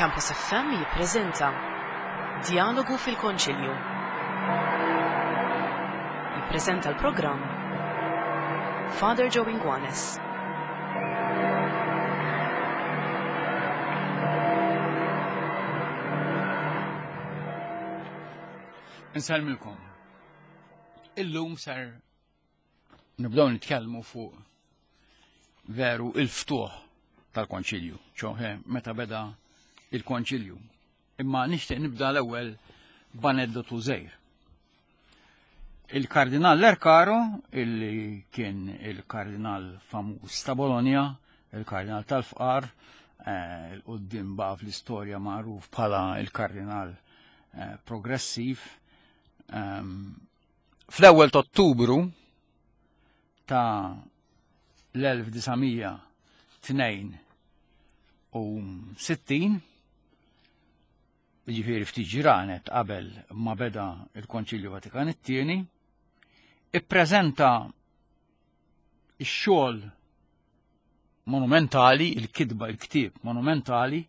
Campus FM jippreżenta Djalogu fil-Konċilju. Jippreżenta l-programm Father Joe Inguanes. Insellmilkom. Illum ser nibdew nitkellmu fuq veru il-ftuħ tal-konċilju, ċoħe meta beda il-konċilju. Imma nixtieq nibda l-ewwel b'aneddotu żgħir. Il-Kardinal Lercaro, illi kien il-kardinal famuż ta' Bologna, il-kardinal tal-fqar, eh, il-qoddim baqa fl-istorja magħruf bħala il-kardinal eh, progressiv, ehm, Fl-ewwel ta' Ottubru ta' l-1962, jiġifieri ftit ġranet qabel ma beda il-Konċilju Vatikan it-tieni, ippreżenta x-xogħol monumentali, il-kitba, il-ktieb monumentali,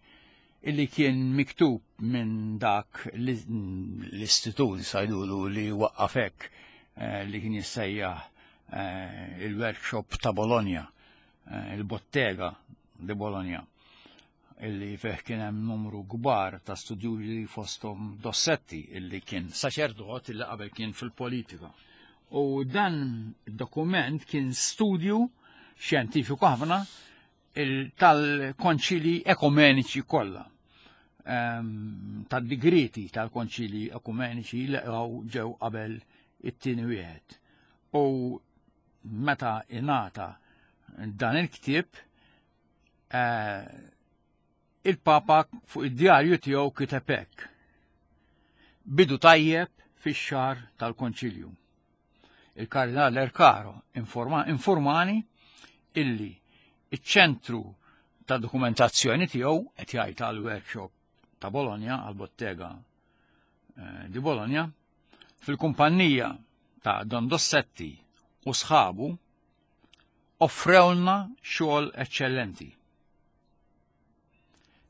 illi kien miktub minn dak l-istitut sajdulu li waqqafek eh, li kien jissejjaħ eh, il-workshop ta' Bologna, eh, il-bottega di Bologna, illi fih kien hemm numru kbar ta' studjużi fosthom Dossetti illi kien saċerdot illi qabel kien fil-politika. U dan dokument kien studju xjentifiku ħafna tal-konċili ekumeniċi kollha. Ehm, tad-digriti tal-konċili ekumeniċi li ġew qabel it-tieni wieħed. U meta ingħata dan il-ktieb eh, il-Papa fuq id-djarju tiegħu kiteb hekk. Bidu tajjeb fix-xahar tal-Konċilju. Il-Kardinal Ercaro informa, informani illi iċ-ċentru ta' dokumentazzjoni tiegħu qed jgħid għal workshop ta' Bologna, għal bottega eh, di Bologna, fil-kumpanija ta' Don Dossetti u sħabu offrewlna xogħol eċċellenti.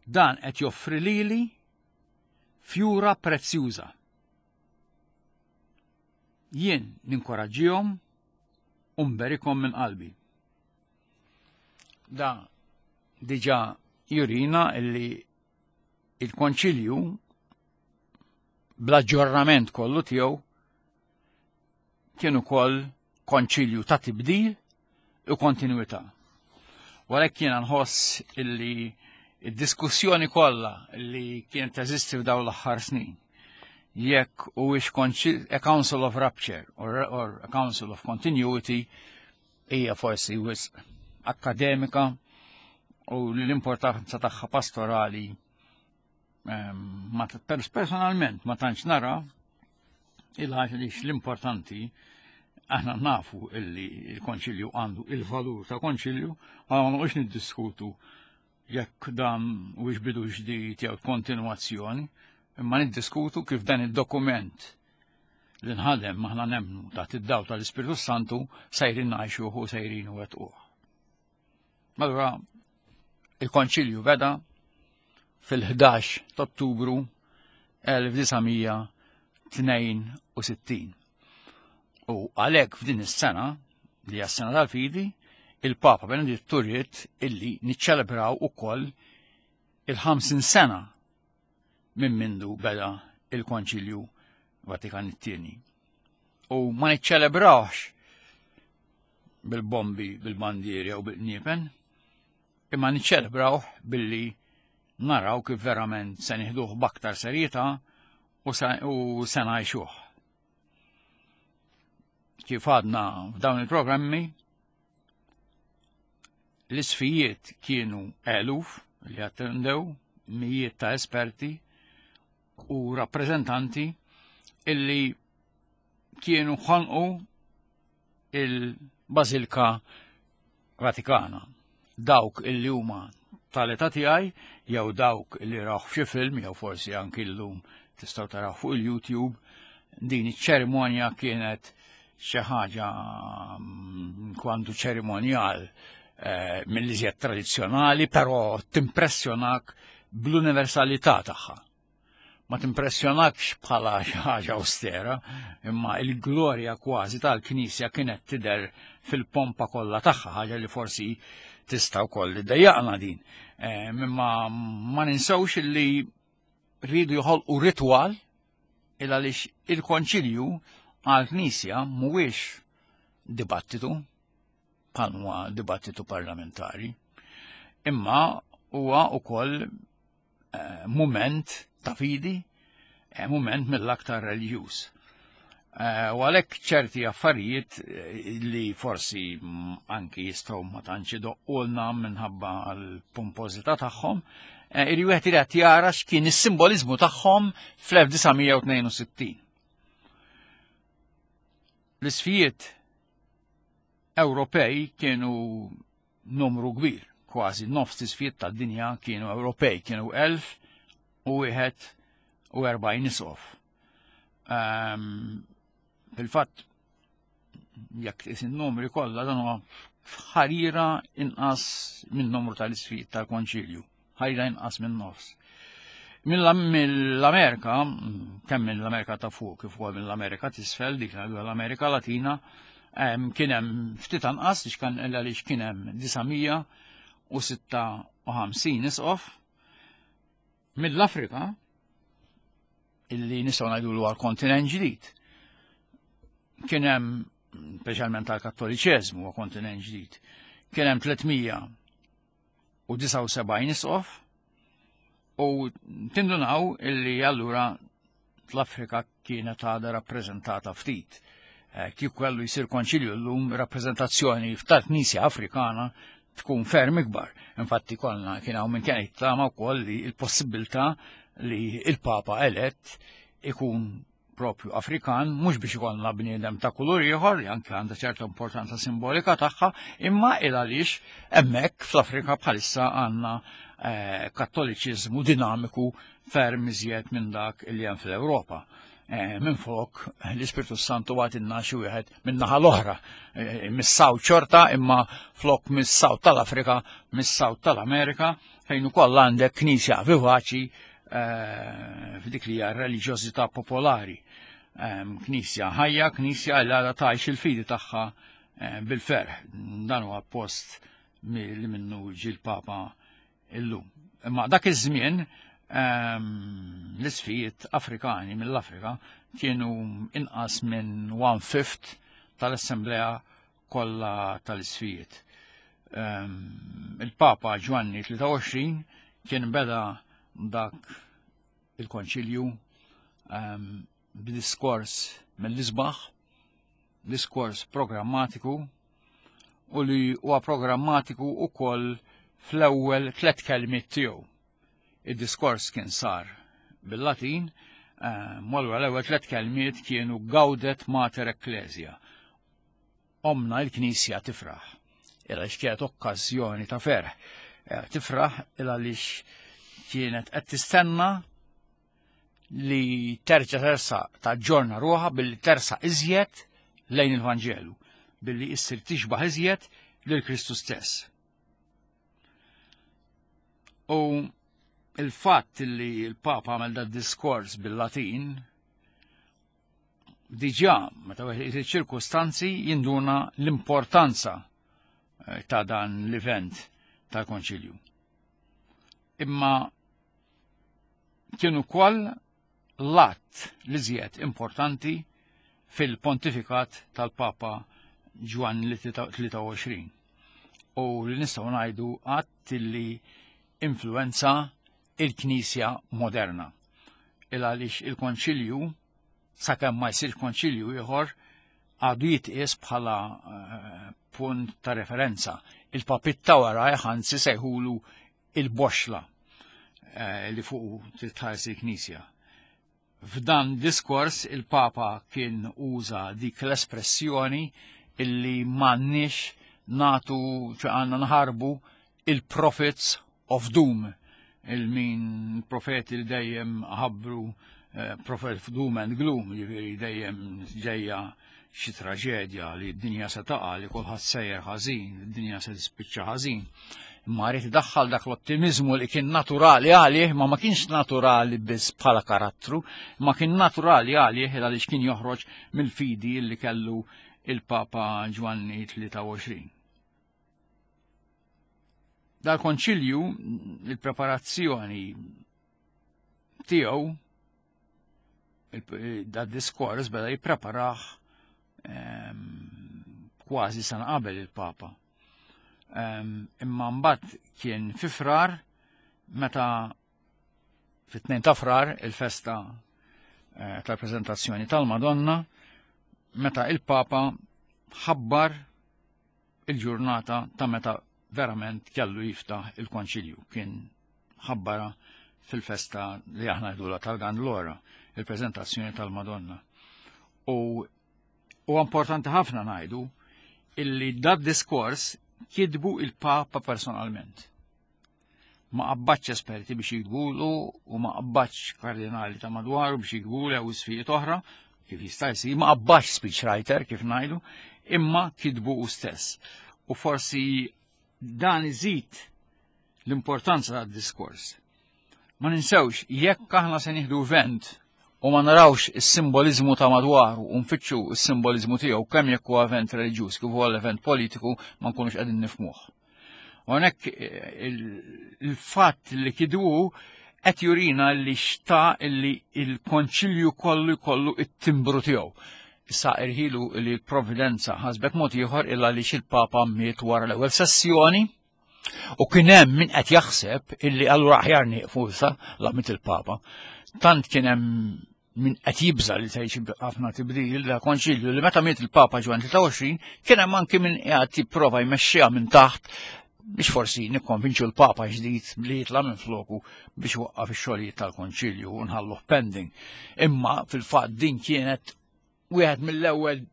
Dan qed joffri lili fjura prezzjuża. Jien ninkoraġġihom u nberikhom minn qalbi. Da diġà jurina illi il-konċilju bl-aġġornament kollu tiegħu kien ukoll konċilju ta' tibdil u kontinwità. Walek jiena nħoss illi id-diskussjoni kollha li kienet teżisti f'dawn l-aħħar snin jekk huwiex a Council of Rupture or, or a Council of Continuity hija forsi wisq akademika u l-importanza tagħha pastorali ehm, ma personalment ma tantx nara il-ħaġa li l-importanti aħna nafu illi il-konċilju għandu il-valur ta' konċilju, ma noqgħodx niddiskutu jekk dan u bidu ġdid jew kontinwazzjoni, imma niddiskutu kif dan id-dokument li nħadem maħna nemmnu taħt id-daw tal-Ispirtu Santu sejrin ngħixuh u sejrin u wetquh. Allura il-konċilju beda fil-11 ta' Ottubru 1962. U għalhekk f'din is-sena li hija s-sena tal-fidi, il-Papa Benedittu ried illi niċċelebraw ukoll il-50 sena minn mindu beda il-Konċilju Vatikan it-tieni. U ma niċċelebrawx bil-bombi, bil-bandieri u bil-qniepen, imma niċċelebrawh billi naraw kif verament se nieħduh b'aktar serjetà u se ngħixuh. Kif għadna f'dawn il-programmi, l-isfijiet kienu eluf li attendew, mijiet ta' esperti u rappreżentanti illi kienu ħonqu il-Bażilka Vatikana. Dawk illi huma tal-età tiegħi jew dawk li rawh f'xi film jew forsi anki llum tistgħu taraw fuq il-YouTube, din iċ-ċerimonja kienet xi ħaġa mm, kwantu ċerimonjal eh, mill-iżjed tradizzjonali, però timpressjonak bl-universalità tagħha. Ma timpressjonakx bħala xi ħaġa austera, imma il-glorja kważi tal-Knisja kienet tidher fil-pompa kollha tagħha, ħaġa li forsi tista' wkoll iddejjaqna din. Eh, imma ma ninsewx li rridu joħolqu ritwal il għaliex il-konċilju għal-Knisja mhuwiex dibattitu, bħal huwa dibattitu parlamentari, imma huwa wkoll eh, mument ta' fidi, eh, mument mill-aktar reliġjuż. Eh, u għalhekk ċerti affarijiet li forsi anki jistgħu ma tantx idoqqulna minħabba l-pompożità tagħhom, irri wieħed irid jara x'kien is-simboliżmu tagħhom fl-1962. L-isfijiet Ewropej kienu numru kbir, kważi nofs isfijiet tad-dinja kienu Ewropej, kienu 1041 isqof. Um, Fil-fatt, jekk is numri kollha dan huwa ħarira inqas minn numru tal-isfijiet tal-Konċilju, ħarira inqas minn nofs. Mill-Amerika, kemm mill-Amerika ta' fuq kif ukoll mill-Amerika t'isfel, dik l-Amerika Latina, kien hemm ftit anqas biex kan għaliex kien hemm 956 isqof. Mill-Afrika, illi nistgħu ngħidu għal kontinent ġdid, kien hemm speċjalment tal-Kattoliċeżmu huwa kontinent ġdid, kien hemm 379 isqof u tindunaw illi allura l-Afrika kienet għadha rappreżentata ftit. Eh, kieku kellu jsir konċilju llum rappreżentazzjoni tal-Knisja Afrikana tkun ferm ikbar. Infatti konna kien hawn minn kien jittama wkoll li l-possibilità li il-Papa elett ikun propju Afrikan, mhux biex ikollna bniedem ta' kulur ieħor li anke għandha ċerta importanza simbolika tagħha, imma il għaliex hemmhekk fl-Afrika bħalissa għandna eh, kattoliċiżmu dinamiku ferm iżjed minn dak li hemm fl-Ewropa. Eh, minn flok l-Ispirtu Santu għatinna xi wieħed minn naħa l-oħra, eh, mis-saw ċorta imma flok mis-saw tal-Afrika, mis-saw tal-Amerika, fejn ukoll għandek knisja vivaċi eh, f'dik li hija reliġjożità popolari. Knisja ħajja, knisja li għadha tgħix il-fidi tagħha bil-ferħ. Dan huwa post li minnu ġi l-Papa illum. Imma dak iż-żmien ehm, l-isfijiet Afrikani mill-Afrika kienu inqas minn one fifth tal-Assemblea kollha tal-isfijiet. Ehm, il-Papa Ġwanni 23 kien beda dak il-konċilju ehm, b'diskors mill-isbaħ, diskors programmatiku u li huwa programmatiku ukoll fl-ewwel tlet kelmiet tiegħu. Id-diskors kien sar bil-Latin, eh, malwa l-ewwel tlet kelmiet kienu Gaudet Mater Ecclesia. Omna il-Knisja tifraħ. Illa kienet okkażjoni ta' ferħ. Eh, tifraħ il għaliex kienet qed tistenna li terġa' tersa taġġorna ruħha billi tersa iżjed lejn il-Vanġelu, billi issir tixbaħ iżjed lil Kristu stess. U il-fatt li l-Papa għamel da diskors bil-Latin diġà meta wieħed iċ-ċirkustanzi jinduna l-importanza eh, ta' dan l-event tal-Konċilju. Imma kien ukoll l-att li żjed importanti fil-pontifikat tal-Papa Ġwanni 23 u li nistgħu ngħidu att li influenza il-Knisja moderna. Il għaliex il-Konċilju sakemm ma jsir konċilju ieħor għadu jitqies bħala eh, punt ta' referenza. Il-papit ta' wara anzi sejħulu il-boxla eh, li fuq titħares il-Knisja. F'dan diskors il-Papa kien uża dik l-espressjoni illi m'għandniex natu għandna nħarbu il-prophets of doom il-min profeti li dejjem ħabbru eh, prophet of doom and gloom, jiġifieri dejjem ġejja xi traġedja li d-dinja se taqa' li kulħadd sejjer ħażin, d-dinja se tispiċċa ħażin. Imma rrid idaħħal dak l-ottimiżmu li kien naturali għalih, ma ma kienx naturali biss bħala karattru, ma kien naturali għalih għaliex kien joħroġ mill-fidi li kellu il-Papa Ġwanni 23. Dal-konċilju, il-preparazzjoni tiegħu da diskors beda jippreparah kważi sena qabel il-Papa. Imma mbagħad kien fi frar meta fit-2 ta' frar il-festa eh, tal-preżentazzjoni tal-Madonna meta il-Papa ħabbar il-ġurnata ta' meta verament kellu jiftaħ il-konċilju. Kien ħabbara fil-festa li aħna jdula tal-Gandlora, il-preżentazzjoni tal-Madonna. U u importanti ħafna ngħidu illi dad diskors kitbu il-Papa personalment. Ma qabbaċ esperti biex jiktbulu u ma qabbaċ kardinali ta' madwaru biex jiktbulu jew isfijiet oħra, kif jista' jsir, ma qabbaċ speechwriter kif ngħidu, imma kitbu u stess. U forsi dan iżid l-importanza tad-diskors. Ma ninsewx, jekk aħna se nieħdu vent u ma narawx is-simboliżmu ta' madwaru u nfittxu s-simboliżmu tiegħu kemm jekk huwa event reliġjuż kif huwa l-event politiku ma nkunux qegħdin nifmuh. Hawnhekk eh, il-fatt li kidu qed jurina li xta li il-konċilju kollu jkollu it-timbru tiegħu. Issa irħilu li l-providenza ħasbet mod ieħor illa li xil-Papa miet wara l-ewwel sessjoni U kien hemm min qed jaħseb illi allura aħjar nieqfu issa la miet il-Papa. Tant kien hemm min qed jibża li se jġib ħafna tibdil da konċilju li meta miet il-Papa Ġwan 23 kien hemm anki min qiegħed jipprova jmexxiha minn taħt biex forsi nikkonvinċu l-Papa ġdid li jitla' minn floku biex waqqaf ix-xogħlijiet tal-konċilju u nħalluh pending. Imma fil-fatt din kienet wieħed mill-ewwel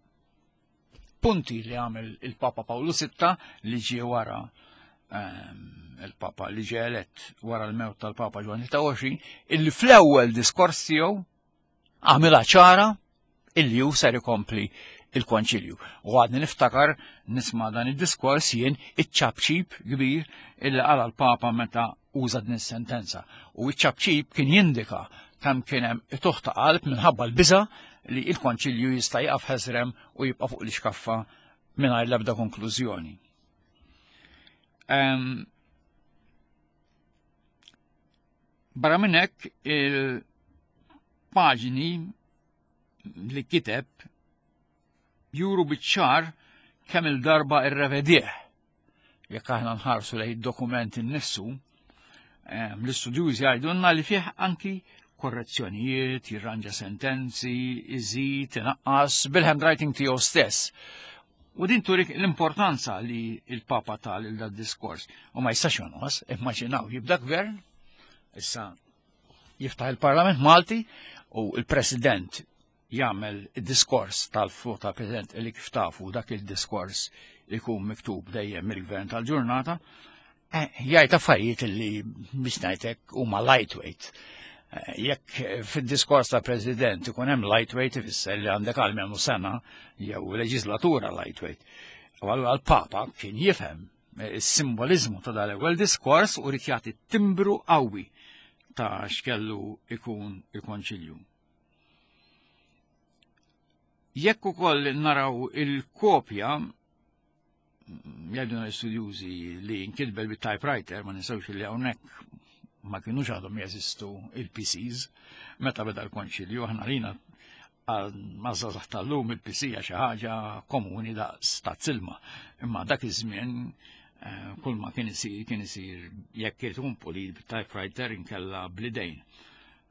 punti li għamel il-Papa Pawlu VI li ġie wara ehm, il-Papa li ġie elett wara l-mewt tal-Papa Ġwanni 23 illi fl-ewwel diskors tiegħu għamilha ċara illi hu ser ikompli il-konċilju. U għadni niftakar nisma' dan id-diskors jien iċ-ċapċip kbir illi qala l-Papa meta uża din is-sentenza. U iċ-ċapċip kien jindika kemm kien hemm ituħ ta' qalb minħabba l-biża li il-konċilju jista' jaqaf ħeżrem u jibqa' fuq l-iskaffa mingħajr l-ebda konklużjoni. Um, barra minn hekk il-paġni li kiteb juru biċ-ċar kemm il-darba irrevedih. Jekk aħna nħarsu lejn id-dokument innifsu, l-istudjużi jgħidulna li fih anki korrezzjonijiet, jirranġa sentenzi, iżid, inaqqas bil-handwriting tiegħu stess. U din turik l-importanza li il-Papa tal il dad diskors. U ma jistax jonqos, immaġinaw jibda gvern, issa jiftaħ il-Parlament Malti u il-President jagħmel id-diskors tal-fuq tal-President li kif tafu dak il-diskors ikun miktub dejjem mill-gvern tal-ġurnata, eh, jgħid affarijiet li biex ngħidlek huma lightweight. Eh, jekk fid-diskors tal-President ikun hemm lightweight ifisser li għandek għalmenu sena jew leġislatura lightweight. U allura l-Papa kien jifhem eh, is-simbolizmu ta' dal-ewwel diskors u rid jagħti timbru qawwi ta' x'kellu ikun il-konċilju. Jekk ukoll naraw il-kopja jgħiduna l-istudjużi li nkitbel bit-typewriter, ma ninsewx li hawnhekk ma kienux għadhom jeżistu il-PCs, meta beda l-konċilju, aħna lina mażżazax tal-lum il-PC hija xi ħaġa komuni daqs ta' silma. Imma dak iż-żmien eh, kull ma kien isir kien isir jekk irid ikun pulit bit-typewriter inkella blidejn.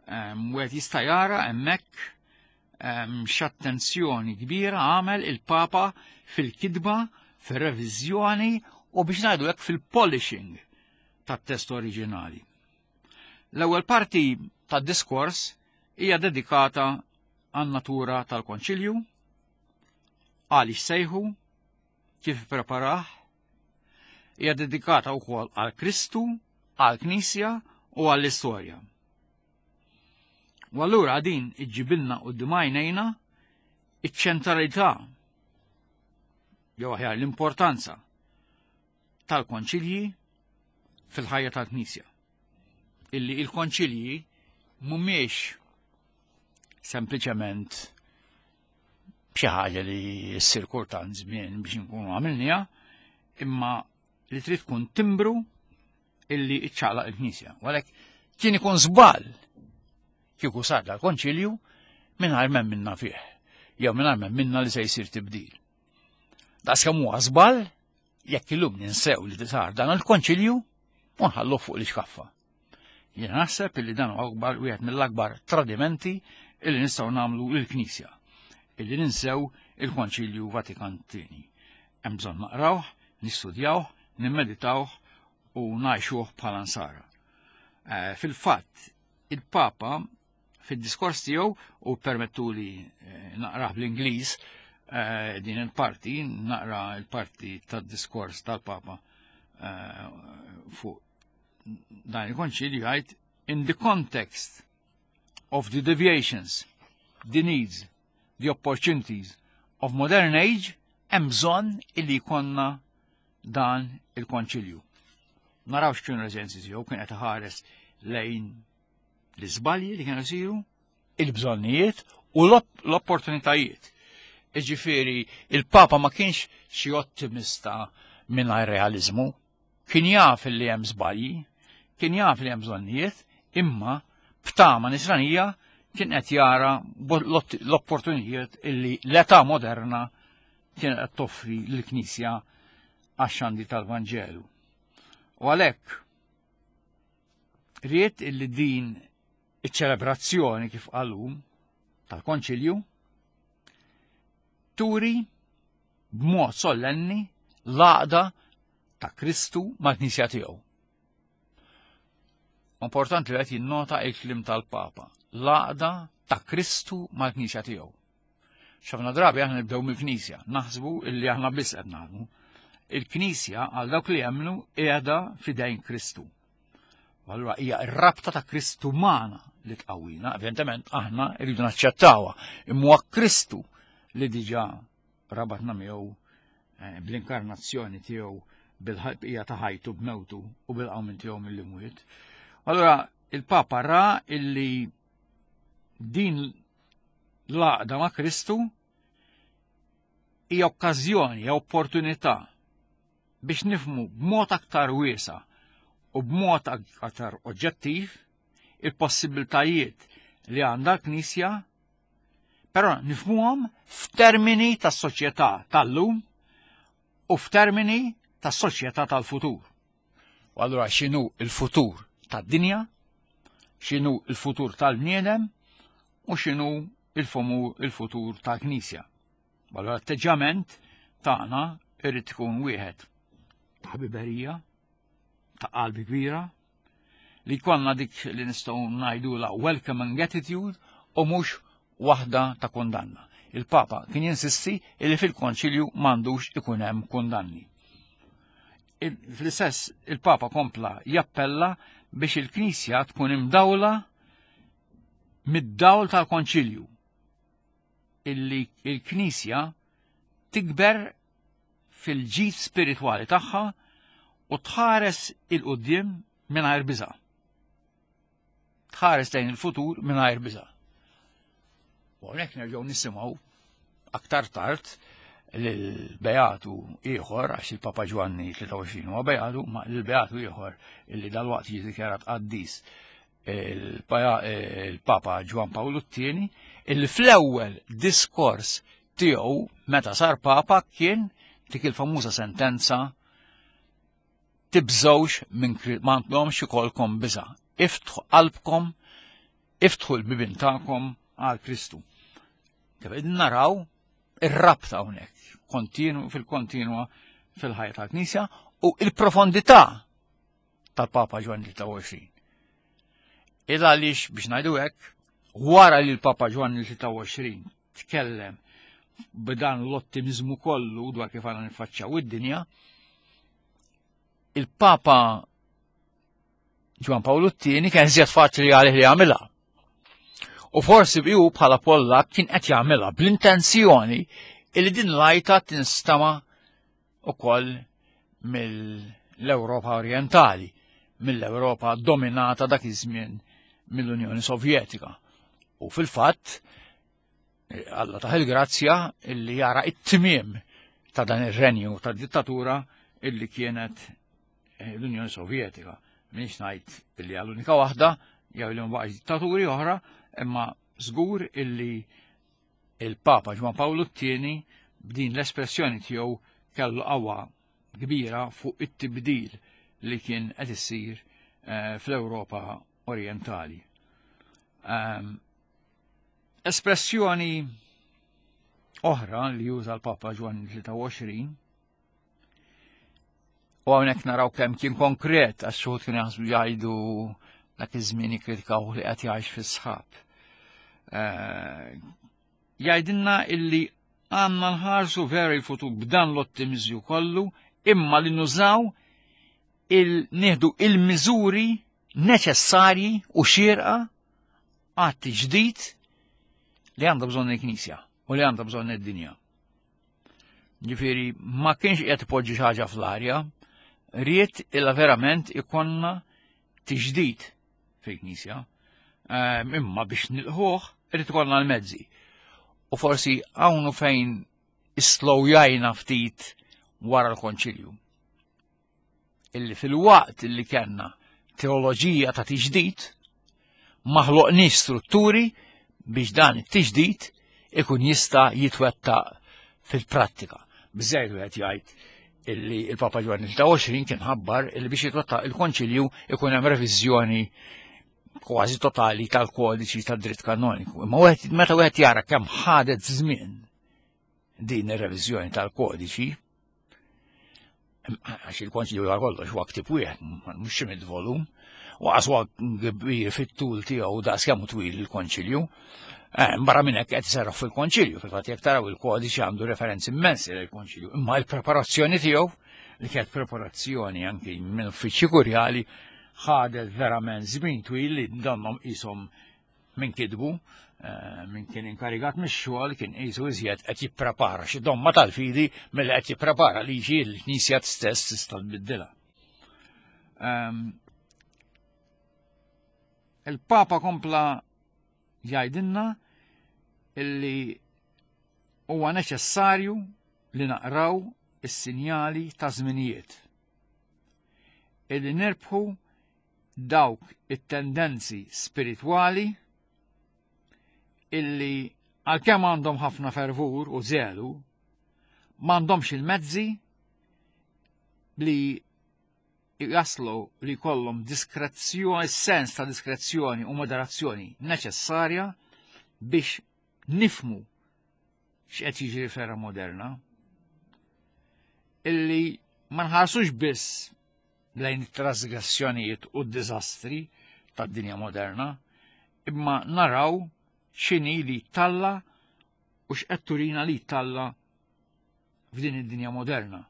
Wieħed jista' jara hemmhekk x'attenzjoni kbira għamel il-Papa fil-kitba, fir-reviżjoni u biex ngħidu hekk fil-polishing tat-test oriġinali. L-ewwel parti tad-diskors hija dedikata għan-natura tal-Konċilju, għaliex sejħu, kif ippreparah, hija dedikata wkoll għal Kristu, għal Knisja u għall-istorja. U allura din iġġibilna quddiem għajnejna iċ-ċentralità jew aħjar l-importanza tal-konċilji fil-ħajja tal-Knisja. Illi il-konċilji mhumiex sempliċement xi ħaġa li ssir kultant żmien biex nkunu għamilniha, imma li trid tkun timbru illi iċċaqlaq il-Knisja. Għalhekk kien ikun żball kieku sar dal-konċilju mingħajr m'hemm minna fih, jew mingħajr m'hemm minna li se jsir tibdil. Daqs kemm huwa żball jekk illum ninsew li sar dan il-konċilju u nħallu fuq l-iskaffa. Jien naħseb illi dan huwa akbar wieħed mill-akbar tradimenti illi nistgħu nagħmlu lill-Knisja, illi ninsew il-Konċilju Vatikan Tieni. Hemm bżonn naqrawh, nistudjawh, nimmeditawh u ngħixuh bħala nsara. Fil-fatt, il-Papa fid-diskors tiegħu u permettuli naqrah bl-Ingliż din il-parti, naqra il-parti tad-diskors tal-Papa fuq dan il-konċilju jgħid: "In the context of the deviations, the needs, the opportunities of modern age, hemm bżonn illi jkollna dan il-konċilju." Naraw x'kienu l-eżenzi tiegħu, kien qed iħares lejn l-iżbalji li kienu jsiru, il-bżonnijiet u l-opportunitajiet. Iġifieri, il-Papa ma kienx xi ottimista mingħajr realizmu, kien jaf li hemm żbalji, kien jaf li hemm bżonnijiet, imma b'tama nisranija kien qed jara l-opportunitajiet illi l-età moderna kien qed toffri lill-Knisja għax-xandir tal-Vanġelu. U għalhekk ried illi din iċ-ċelebrazzjoni, kif qalu, tal-Konċilju turi b'mod sollenni l-għaqda ta' Kristu mal-Knisja tiegħu. Importanti li qed jinnota il-kliem tal-Papa, l-għaqda ta' Kristu mal-Knisja tiegħu. X'ħafna drabi aħna nibdew mill-Knisja, naħsbu illi aħna biss qed naħdmu. Il-Knisja għal dawk li jemmnu qiegħda f'idejn Kristu. U allura hija r-rabta ta' Kristu magħna li tqawwina, evidentement aħna rridu naċċettawha, imma huwa Kristu li diġà rabatna miegħu bl-inkarnazzjoni tiegħu, bil-ħajja ta' ħajtu, b'mewtu u bil-qawmien tiegħu mill-imwiet. Allura il-Papa ra illi din l-għaqda ma' Kristu hija okkażjoni, hija opportunità biex nifhmu b'mod aktar wiesa' u b'mod aktar oġġettiv il-possibiltajiet li għandha l-Knisja, però nifhmuhom f'termini tas-soċjetà tal-lum u f'termini tas-soċjetà tal-futur. U allura x'inhu il-futur tad-dinja, x'inhu il-futur tal-bniedem u x'inhu il-futur tal-Knisja. U allura l-atteġġjament tagħna irid ikun wieħed ta' ħbiberija, ta' qalbi kbira, li jkollna dik li nistgħu ngħidu la welcoming attitude u mhux waħda ta' kundanna. Il-Papa kien jinsisti li fil-konċilju m'għandux ikun hemm kundanni. Fl-istess il-Papa kompla jappella biex il-Knisja tkun imdawla mid-dawl tal-konċilju, illi il-Knisja tikber fil-ġid spiritwali tagħha u tħares 'il quddiem mingħajr biża'. Tħares lejn il-futur mingħajr biża'. U hawnhekk nerġgħu nisimgħu aktar tard l-Beatu ieħor, għax il-Papa Ġwanni 23 huwa Beatu, ma l-Beatu ieħor illi dalwaqt jiġi dikjarat qaddis, il-Papa Ġwan Pawlu t-tieni, illi fl-ewwel diskors tiegħu meta sar Papa kien dik il-famuża sentenza: "Tibżgħux minn, m'għandhomx ikollkom biża'. Iftħu qalbkom, iftħu l-bibien tagħkom għal Kristu." Kif naraw ir-rabta hawnhekk kontinu fil-kontinwa fil-ħajja tal-Knisja u il-profondità tal-Papa Ġwanni 23. Il għaliex, biex ngħidu hekk, wara li l-Papa Ġwanni 23 tkellem b'dan l-ottimizmu kollu dwar kif għandna niffaċċjaw id-dinja, il-Papa Ġwan Pawlu t-tieni kien żjed faċli għalih li jagħmilha. U forsi biju bħala Pollak kien qed jagħmilha bl-intenzjoni li din l-għajta tinstama' ukoll mill-Ewropa Orientali. mill-Ewropa dominata dak iż-żmien mill-Unjoni Sovjetika. U fil-fatt, Alla taħ il-grazzja illi jara it-tmiem ta' dan ir-renju ta' dittatura illi kienet eh, l-Unjoni Sovjetika. Minix ngħid illi għall-unika waħda jew li ma dittaturi oħra, imma żgur illi il-Papa Ġwan Pawlu t-tieni b'din l-espressjoni tiegħu kellu qawwa kbira fuq it-tibdil li kien qed issir eh, fl-Ewropa Orientali. Ehm, Espressjoni oħra li juża l-Papa Ġwanni 23 u hawnhekk naraw kemm kien konkret għax xuħud kien jaħsbu jgħidu dak iż-żmien jikkritikaw li qed jgħix fis-sħab. Eh, jgħidilna illi għandna nħarsu veru l-futur b'dan l-ottimizju kollu imma li nużaw il-nieħdu il-miżuri neċessarji u xierqa għat-tiġdid li għandha bżonn il-Knisja u li għandha bżonn id-dinja. Ġifieri ma kienx qed ipoġġi xi ħaġa fl-arja, ried illa verament ikonna tiġdid fil-Knisja. Ehm, imma biex nilħuh irid ikollna l-mezzi. U forsi hawn fejn islowjajna ftit wara l-konċilju. illi fil-waqt illi kellna teoloġija ta' tiġdid, ma ħloqniex strutturi biex dan it-tiġdid ikun jista' jitwettaq fil-prattika. Biżejjed wieħed jgħid illi il-Papa Ġwanni 23 kien ħabbar illi biex jitwettaq il-konċilju ikun hemm reviżjoni kważi totali tal-kodiċi tad-dritt kanoniku. Imma meta wieħed jara kemm ħadet żmien din ir-reviżjoni tal-kodiċi, għax il-konċilju għal kollox huwa ktib wieħed, mhux xi mid volum, u għas huwa kbir fit-tul tiegħu daqs kemm twil il-konċilju. Eh, barra minn hekk qed iserraħ fil-konċilju, fil-fatt jekk taraw il-kodiċi għandu referenzi immensi lill-konċilju, imma l-preparazzjoni tiegħu li kienet preparazzjoni anki minn uffiċċji kurjali ħadet verament żmien twil li donnhom qishom Min kitbu, eh, min kien inkarigat mix-xogħol kien qisu iżjed qed jipprepara xi domma tal-fidi milli qed jipprepara liġi l-Knisja stess tista' tbiddilha. Ehm, il-Papa kompla jgħidilna illi huwa neċessarju li naqraw is-sinjali ta' żminijiet. Illi nirbħu dawk it-tendenzi spiritwali illi għalkemm għandhom ħafna fervur u zelu, m'għandhomx il-mezzi li jaslu li kollhom diskrezzjoni, sens ta' diskrezzjoni u moderazzjoni neċessarja biex nifmu x'qed jiġri f'era moderna. Illi ma nħarsux biss lejn it-trasgressjonijiet u d-diżastri tad-dinja moderna, imma naraw x'inhi li talla u x'qed turina li talla f'din id-dinja moderna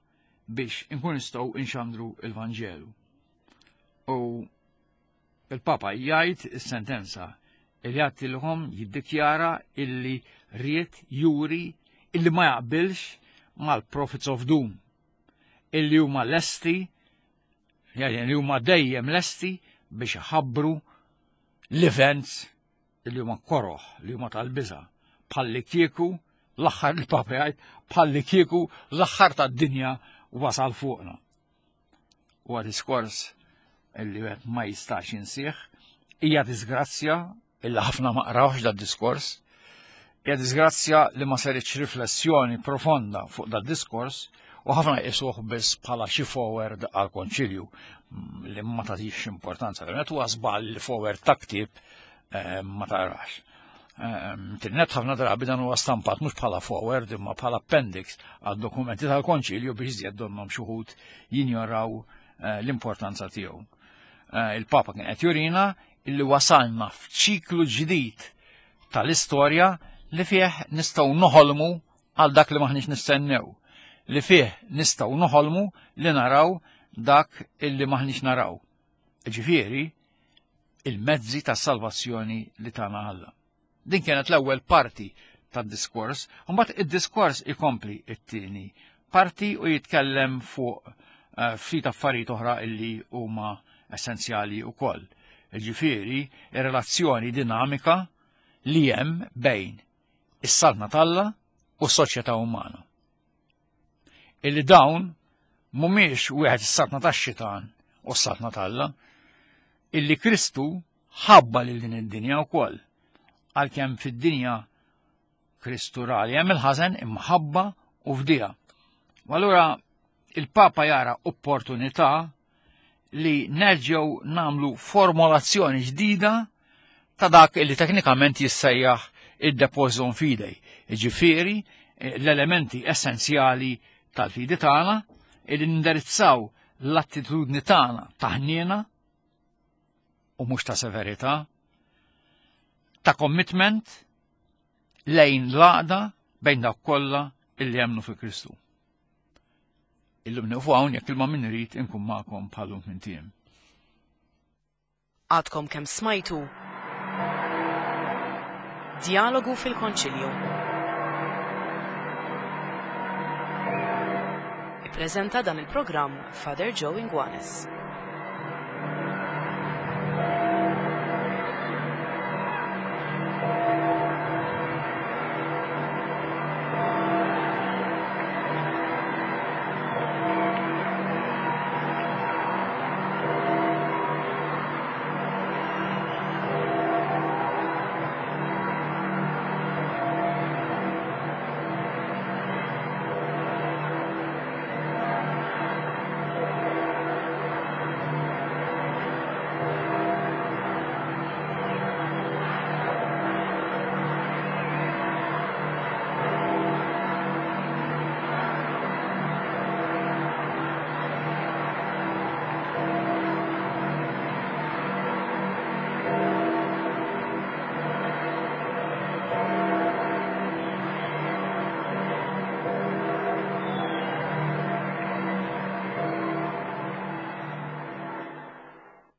biex inkun nistgħu inxandru il-Vanġelu. U il-Papa jgħid is-sentenza li jgħattilhom jiddikjara illi ried juri illi ma jaqbilx mal-Prophets of Doom illi huma lesti, li huma dejjem lesti biex iħabbru l-events li huma koroħ, li huma tal-biża, bħalli kieku l-aħħar il-Papa jgħid bħalli kieku l-aħħar tad-dinja wasal fuqna. Huwa diskors illi wieħed ma jistax jinsih, hija disgrazzja illi ħafna ma qrawx da diskors. Hija disgrazzja li ma saritx riflessjoni profonda fuq da diskors u ħafna jqisuh biss bħala xi forward għal konċilju mm, li ma tagħtix importanza. Verament huwa żball li forward ta' ktieb eh, ma tarax. Eh, Tinnet ħafna drabi dan huwa stampat mhux bħala forward imma bħala appendix għad dokumenti tal-konċilju biex iżjed donnhom xi wħud jinjoraw eh, l-importanza tiegħu. Il-Papa kien qed jurina illi wasalna f'ċiklu ġdid tal-istorja li fih nistgħu noħolmu għal dak li maħniex nistennew, li fih nistgħu noħolmu li naraw dak illi maħniex naraw. Ġifieri, il-mezzi ta' salvazzjoni li tana Alla. Din kienet l-ewwel parti tad-diskors, u mbagħad id-diskors ikompli it-tieni parti u jitkellem fuq eh, ftit affarijiet oħra illi huma essenzjali wkoll. Ġifieri, ir-relazzjoni dinamika li hemm bejn is-saltna t'Alla u s-soċjetà umana. Illi dawn mhumiex wieħed is-saltna tax-xitan u s-saltna t'Alla, illi Kristu ħabba lil din id-dinja wkoll. Għalkemm fid-dinja Kristu ra li hemm il-ħażen imħabba u fdija. U allura il-Papa jara opportunità li nerġgħu namlu formulazzjoni ġdida ta' dak li teknikament jissejjaħ id-depositum fidei. Ġifieri l-elementi essenzjali tal-fidi tagħna li nindirizzaw l-attitudni tagħna ta' ħniena u mhux ta' severità, ta' commitment lejn l-għaqda bejn dawk kollha illi jemmnu fi Kristu. Illum nieqfu hawn jekk ilma min irid inkun magħkom bħalum minn tiem. Għadkom kemm smajtu Djalogu fil-Konċilju. Ippreżenta dan il-programm Father Joe Inguanes.